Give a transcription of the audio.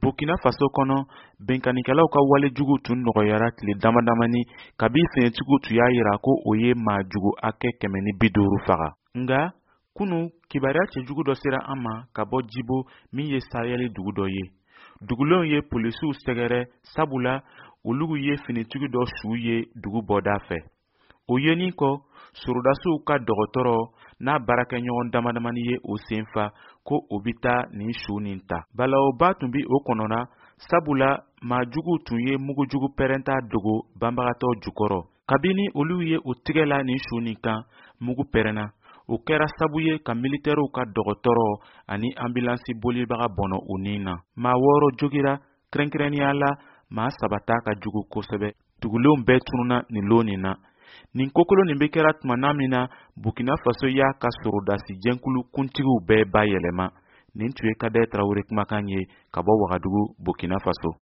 Burkina Faso kɔnɔ, binkannikɛlaw ka wale juguw tun nɔgɔyara tile dama damani kabi finitigiw tun y'a yira ko o ye maa jugu hakɛ 150 faga. Nka, kunu kibaruya cɛjugu dɔ sera an ma ka bɔ Jibo min ye Sahɛli dugu dɔ ye. Dugulenw ye polisiw sɛgɛrɛ sabula olu ye finitigi dɔ su ye dugu bɔda fɛ. O yenin kɔ, sorodasiw ka dɔgɔtɔrɔ n'a baarakɛɲɔgɔn damadamani ye o sen fa ko o bɛ taa nin su nin ta. Balawuba tun bɛ o kɔnɔna, sabula maa juguw tun ye mugujugu pɛrɛnta dogo banbagatɔ jukɔrɔ. Kabini olu ye u tigɛ la nin su nin kan, mugu pɛrɛnna. O kɛra sabu ye ka militɛriw ka dɔgɔtɔrɔ ani anbilansi bolibaga bɔnɔ u ni na. Maa wɔɔrɔ jogira, kɛrɛnkɛrɛnnenya la maa saba ta ka jugu kosɛbɛ. Dugulenw bɛɛ tununna nin lon nin na. Nin kokolon nin bɛ kɛra tuma na min na Burkina Faso y'a ka sorodasi jɛnkulu kuntigiw bɛɛ bayɛlɛma. Nin tun ye Kadɛ Tarawele kumakan ye ka bɔ Wagadugu, Burkina Faso.